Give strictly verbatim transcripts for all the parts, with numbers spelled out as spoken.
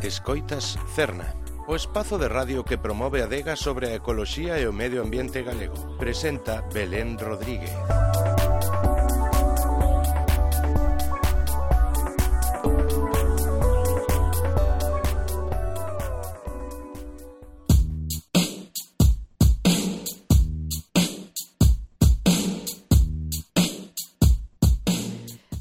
Escoitas Cerna, o espazo de radio que promove a adega sobre a ecoloxía e o medio ambiente galego. Presenta Belén Rodríguez.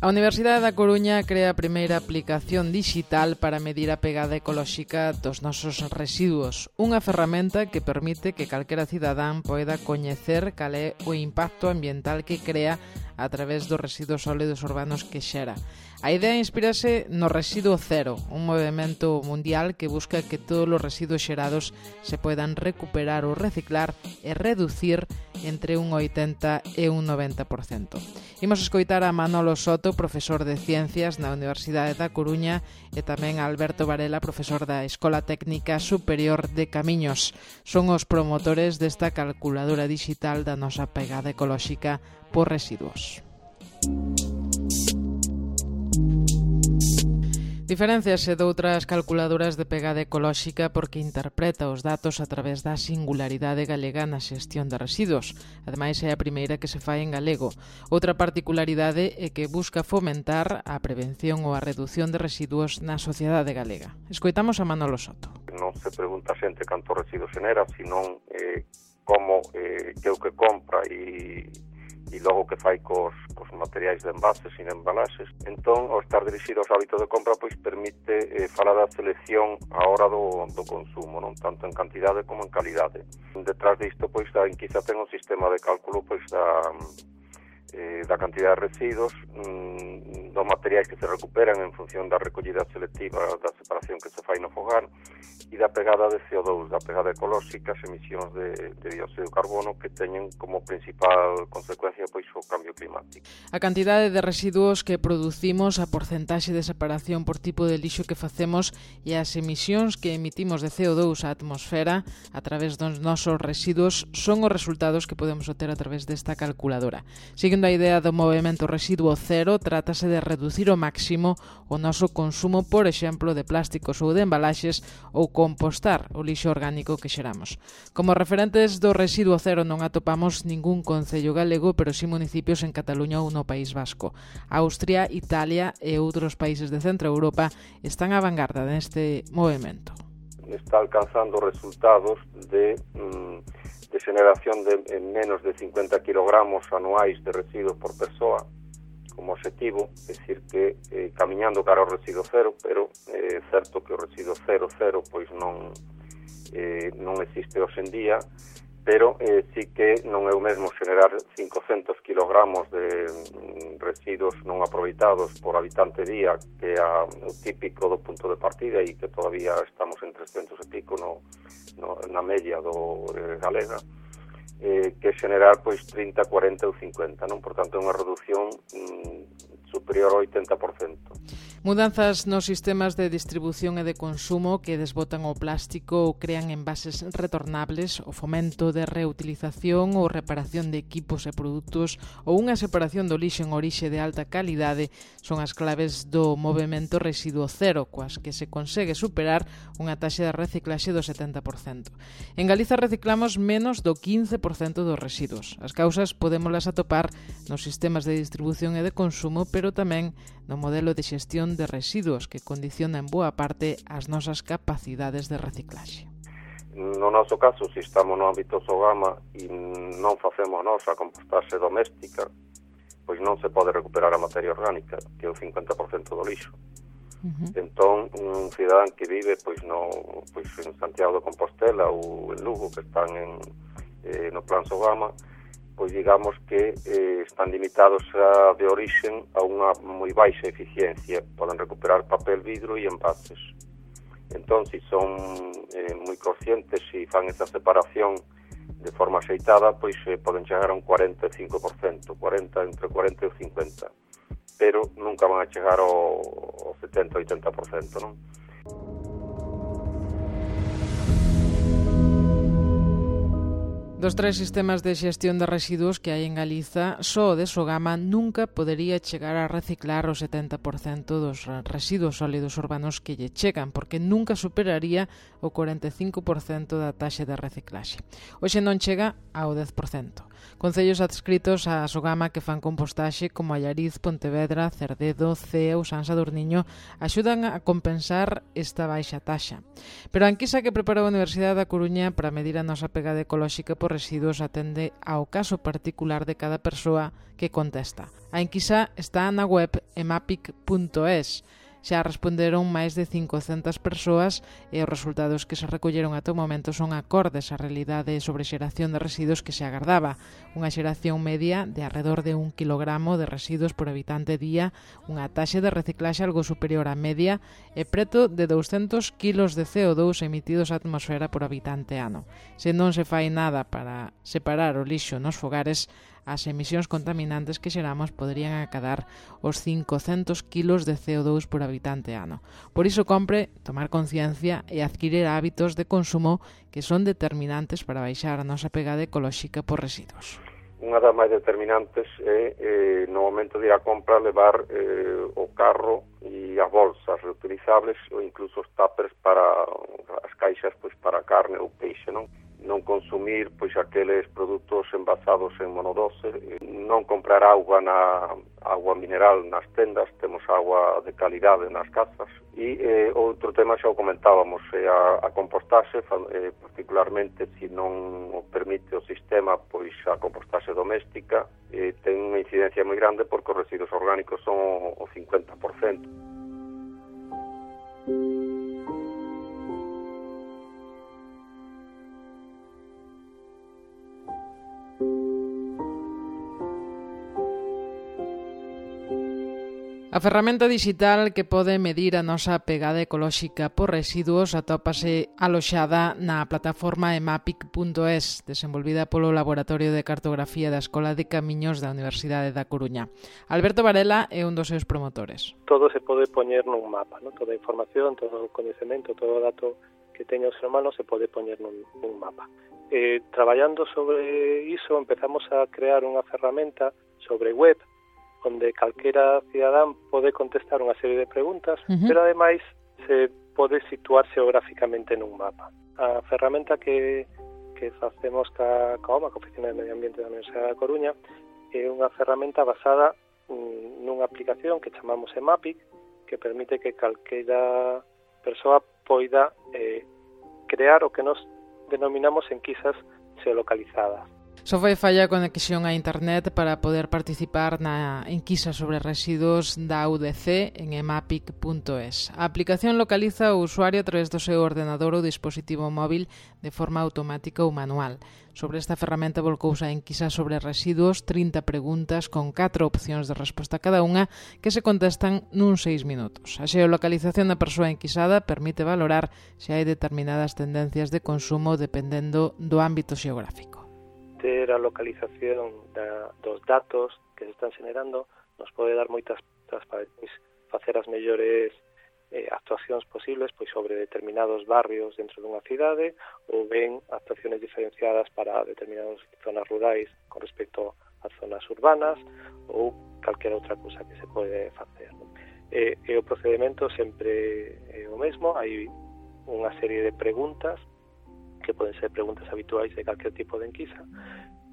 A Universidade da Coruña crea a primeira aplicación dixital para medir a pegada ecolóxica dos nosos residuos, unha ferramenta que permite que calquera cidadán poida coñecer cal é o impacto ambiental que crea a través dos residuos sólidos urbanos que xera. A idea inspírase no Residuo Cero, un movimento mundial que busca que todos os residuos xerados se poidan recuperar ou reciclar e reducir entre un oitenta e un noventa por cento. Imos escoitar a Manolo Soto, profesor de Ciencias na Universidade da Coruña, e tamén a Alberto Varela, profesor da Escola Técnica Superior de Camiños. Son os promotores desta calculadora dixital da nosa pegada ecolóxica por residuos. Diferenciase doutras calculadoras de pegada ecolóxica porque interpreta os datos a través da singularidade galega na xestión de residuos. Ademais, é a primeira que se fai en galego. Outra particularidade é que busca fomentar a prevención ou a reducción de residuos na sociedade galega. Escoitamos a Manolo Soto. Non se pregunta a xente canto residuos xenera, senón eh, como eh, que o que compra e e logo que fai cos, cos materiais de envases e de embalaxes. Entón, ao estar dirixido aos hábitos de compra, pois permite eh, falar da selección á hora do, do consumo, non tanto en cantidade como en calidade. Detrás disto, pois, da Inquiza ten un sistema de cálculo pois da, eh, da cantidad de residuos, mm, dos materiais que se recuperan en función da recollida selectiva, da separación que se fai no fogar, e da pegada de C O dos, da pegada ecolóxica, as emisións de, de dióxido de carbono que teñen como principal consecuencia pois o cambio climático. A cantidade de residuos que producimos, a porcentaxe de separación por tipo de lixo que facemos e as emisións que emitimos de C O dos á atmosfera a través dos nosos residuos son os resultados que podemos obter a través desta calculadora. Seguindo a idea do movimento Residuo Cero, trátase de reducir ao máximo o noso consumo, por exemplo, de plásticos ou de embalaxes ou compostar o lixo orgánico que xeramos. Como referentes do Residuo Cero non atopamos ningún concello galego, pero sí municipios en Cataluña ou no País Vasco. Austria, Italia e outros países de Centro Europa están á vanguarda neste movimento. Está alcanzando resultados de, de generación de menos de cincuenta kilogramos anuais de residuos por persoa como objetivo, é dicir que eh, camiñando cara ao residuo cero, pero é eh, certo que o residuo cero cero pois non eh, non existe hoxe en día, pero eh, sí que non é o mesmo generar cincocentos kilogramos de mm, residuos non aproveitados por habitante día, que é a, o típico do punto de partida e que todavía estamos en trescentos e pico no, no, na media do eh, galega, eh, que generar pois trinta, cuarenta ou cincuenta, non? Por tanto, é unha reducción mm, superior ao oitenta por cento. Mudanzas nos sistemas de distribución e de consumo que desbotan o plástico ou crean envases retornables, o fomento de reutilización ou reparación de equipos e produtos ou unha separación do lixo en orixe de alta calidade son as claves do movimento Residuo Cero, coas que se consegue superar unha taxa de reciclaxe do setenta por cento. En Galiza reciclamos menos do quince por cento dos residuos. As causas podémolas atopar nos sistemas de distribución e de consumo, pero tamén no modelo de xestión de residuos que condiciona en boa parte as nosas capacidades de reciclaxe. No noso caso, se estamos no ámbito Sogama e non facemos nós a compostaxe doméstica, pois non se pode recuperar a materia orgánica, que é o cincuenta por cento do lixo. Uh-huh. Entón, un cidadán que vive pois no pois en Santiago de Compostela ou en Lugo, que están en, eh, no plan Sogama, pois digamos que eh, están limitados a, de orixen a unha moi baixa eficiencia. Poden recuperar papel, vidro e envases. Entón, se son eh, moi conscientes e fan esa separación de forma axeitada, pois eh, poden chegar a un cuarenta e cinco por cento, cuarenta, entre cuarenta e cincuenta, pero nunca van a chegar ao, ao setenta, oitenta por cento, non? Dos tres sistemas de xestión de residuos que hai en Galiza, só o de Sogama nunca podería chegar a reciclar o setenta por cento dos residuos sólidos urbanos que lle chegan, porque nunca superaría o cuarenta e cinco por cento da taxa de reciclaxe. Hoxe non chega ao dez por cento. Concellos adscritos a Sogama que fan compostaxe como Allariz, Pontevedra, Cerdedo, Cea ou San Sadurniño axudan a compensar esta baixa taxa. Pero a enquisa que preparou a Universidade da Coruña para medir a nosa pegada ecolóxica por residuos atende ao caso particular de cada persoa que contesta. A enquisa está na web emapic punto es. Xa responderon máis de cincocentas persoas e os resultados que se recolleron ata o momento son acordes á realidade sobre xeración de residuos que se agardaba. Unha xeración media de alrededor de un kilogramo de residuos por habitante día, unha taxa de reciclaxe algo superior á media e preto de douscentos kilos de C O dous emitidos á atmosfera por habitante ano. Se non se fai nada para separar o lixo nos fogares, as emisións contaminantes que xeramos poderían acadar os cincocentos kilos de C O dous por habitante ano. Por iso compre tomar conciencia e adquirir hábitos de consumo que son determinantes para baixar a nosa pegada ecolóxica por residuos. Unha das máis determinantes é, eh, no momento de ir a compra, levar eh, o carro e as bolsas reutilizables ou incluso os tuppers para as caixas pois para carne ou peixe, non? Non consumir pois aqueles produtos envasados en monodoce, non comprar auga na agua mineral nas tendas, temos agua de calidade nas casas. E eh, outro tema xa o comentábamos, é a, a compostaxe, eh, particularmente se non o permite o sistema, pois a compostaxe doméstica eh, ten unha incidencia moi grande porque os residuos orgánicos son o, o cincuenta por cento. A ferramenta digital que pode medir a nosa pegada ecolóxica por residuos atópase aloxada na plataforma emapic punto es, desenvolvida polo Laboratorio de Cartografía da Escola de Camiños da Universidade da Coruña. Alberto Varela é un dos seus promotores. Todo se pode poñer nun mapa, ¿no? Toda a información, todo o coñecemento, todo o dato que teña o ser humano se pode poñer nun, nun mapa. Eh, traballando sobre iso, empezamos a crear unha ferramenta sobre web, onde calquera cidadán pode contestar unha serie de preguntas, uh-huh. pero ademais se pode situar xeográficamente nun mapa. A ferramenta que, que facemos ca, ca OMA, ca Oficina de Medio Ambiente da Universidade da Coruña, é unha ferramenta basada mm, nunha aplicación que chamamos Emapic, que permite que calquera persoa poida eh, crear o que nos denominamos enquisas xeolocalizadas. Só foi falla a conexión a internet para poder participar na enquisa sobre residuos da U D C en emapic punto es. A aplicación localiza o usuario a través do seu ordenador ou dispositivo móvil de forma automática ou manual. Sobre esta ferramenta volcouse a enquisa sobre residuos, trinta preguntas con catro opcións de resposta a cada unha que se contestan nuns seis minutos. A xeolocalización da persoa enquisada permite valorar se hai determinadas tendencias de consumo dependendo do ámbito xeográfico. Ter a localización da, dos datos que se están generando nos pode dar moitas transparencias, facer as mellores eh, actuacións posibles pois sobre determinados barrios dentro dunha cidade ou ben actuacións diferenciadas para determinadas zonas rurais con respecto ás zonas urbanas ou calquera outra cousa que se pode facer. E, e o procedimento sempre é o mesmo, hai unha serie de preguntas que poden ser preguntas habituais de calquer tipo de enquisa,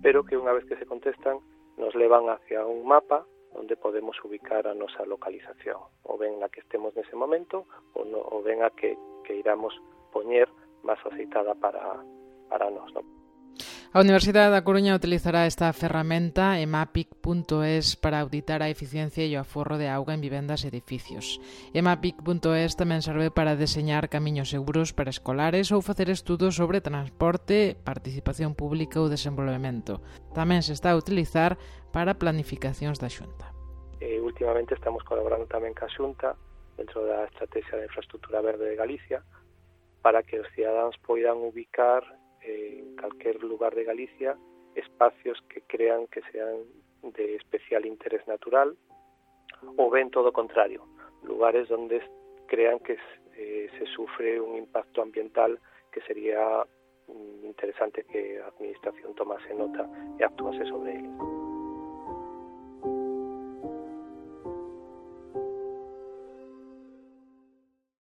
pero que unha vez que se contestan nos levan hacia un mapa onde podemos ubicar a nosa localización, ou ben a que estemos nese momento, ou, no, ou ben a que, que iramos poñer máis aceitada para, para nós, non? A Universidade da Coruña utilizará esta ferramenta emapic punto es para auditar a eficiencia e o aforro de auga en vivendas e edificios. emapic punto es tamén serve para deseñar camiños seguros para escolares ou facer estudos sobre transporte, participación pública ou desenvolvemento. Tamén se está a utilizar para planificacións da Xunta. Eh, últimamente estamos colaborando tamén ca Xunta dentro da Estrategia de Infraestructura Verde de Galicia para que os cidadáns poidan ubicar en calquer lugar de Galicia espacios que crean que sean de especial interés natural ou ben todo o contrario, lugares onde crean que eh, se sufre un impacto ambiental que sería interesante que a administración tomase nota e actuase sobre ele.